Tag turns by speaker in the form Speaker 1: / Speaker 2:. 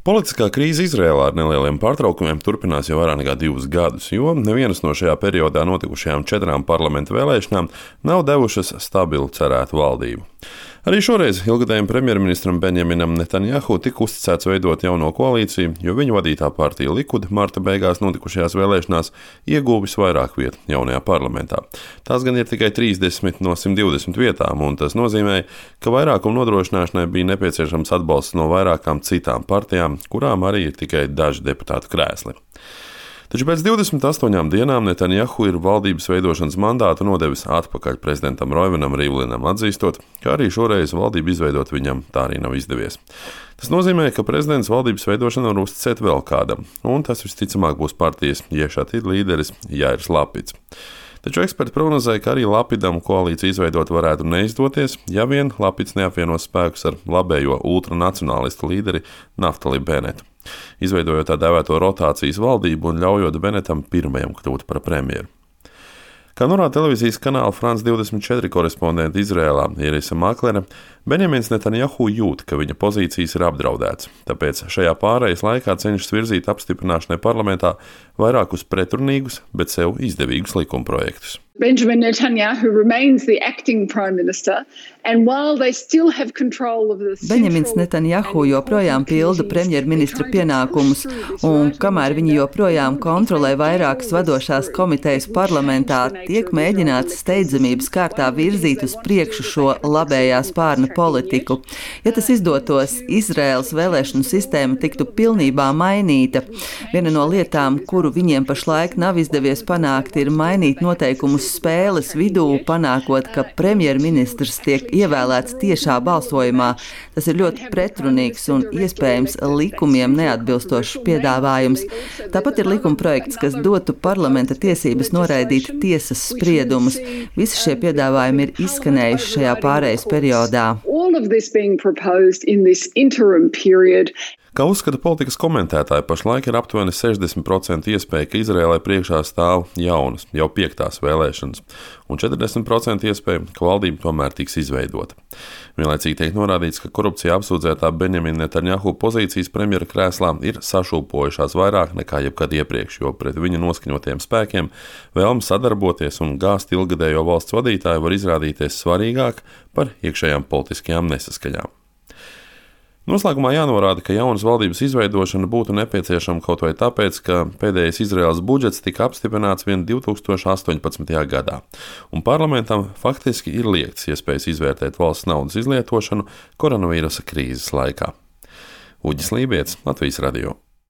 Speaker 1: Politiskā krīze Izrēlā ar nelieliem pārtraukumiem turpinās jau vairāk nekā 2 gadus, jo nevienas no šajā periodā notikušajām 4 parlamentu vēlēšanām nav devušas stabilu cerētu valdību. Arī šoreiz ilgadējiem premjerministram Benjaminam Netanjahu tika uzticēts veidot jauno koalīciju, jo viņa vadītā partija Likud marta beigās notikušajās vēlēšanās ieguvis vairāk vietu jaunajā parlamentā. Tās gan ir tikai 30 no 120 vietām, un tas nozīmē, ka vairākuma nodrošināšanai bija nepieciešams atbalsts no vairākām citām partijām, kurām arī ir tikai daži deputātu krēsli. Taču pēc 28 dienām Netanjahu ir valdības veidošanas mandātu nodevis atpakaļ prezidentam Roivenam Rivlinam, atzīstot, ka arī šoreiz valdību izveidot viņam tā arī nav izdevies. Tas nozīmē, ka prezidents valdības veidošanu var uzticēt vēl kādam, un tas visticamāk būs partijas Ješatid līderis Jairs Lapidz. Taču eksperti prognozē, ka arī Lapidam koalīciju izveidot varētu neizdoties, ja vien Lapidz neapvienos spēkus ar labējo ultranacionālistu līderi Naftali Benetu, izveidojot tā dēvēto rotācijas valdību un ļaujot Benetam pirmajam kļūt par premjeru. Kā norāda televīzijas kanāla France 24 korespondente Izrēlā Irisa Maklere, Benjamins Netanjahu jūt, ka viņa pozīcijas ir apdraudētas, tāpēc šajā pārejas laikā cenšas virzīt apstiprināšanai parlamentā vairākus pretrunīgus, bet sev izdevīgus likumprojektus.
Speaker 2: Benjamin Netanyahu remains the acting prime minister, and while they still have control of the
Speaker 3: Benjamins Netanjahu joprojām pilda premjerministra pienākumus, un kamēr viņi joprojām kontrolē vairākas vadošās komitejas parlamentā, tiek mēģināts steidzamības kārtā virzīt uz priekšu šo labējā spārna politiku. Ja tas izdotos, Izraēlas vēlēšanu sistēma tiktu pilnībā mainīta. Viena no lietām, kuru viņiem pašlaik nav izdevies panākt, ir mainīt noteikumus spēles vidū, panākot, ka premjerministrs tiek ievēlēts tiešā balsojumā. Tas ir ļoti pretrunīgs un iespējams likumiem neatbilstošs piedāvājums. Tāpat ir likumprojekts, kas dotu parlamenta tiesības noraidīt tiesas spriedumus. Visi šie piedāvājumi ir izskanējuši šajā pārejas periodā.
Speaker 1: Kā uzskata politikas komentētāji, pašlaik ir aptuveni 60% iespēja, ka Izrēlai priekšā stāv jaunas, jau 5. vēlēšanas, un 40% iespēja, ka valdība tomēr tiks izveidota. Vienlaicīgi tiek norādīts, ka korupcijā apsūdzētā Benjamina Netanjahu pozīcijas premjera krēslā ir sašūpojušās vairāk nekā jebkad iepriekš, jo pret viņa noskaņotiem spēkiem vēlme sadarboties un gāzt ilgadējo valsts vadītāju var izrādīties svarīgāk par iekšējām politiskajām nesaskaņām. Noslēgumā jānorāda, ka jaunas valdības izveidošana būtu nepieciešama kaut vai tāpēc, ka pēdējais Izraēlas budžets tika apstiprināts vien 2018. gadā, un parlamentam faktiski ir liegts iespējas izvērtēt valsts naudas izlietošanu koronavīrusa krīzes laikā. Uģis Lībietis, Latvijas radio.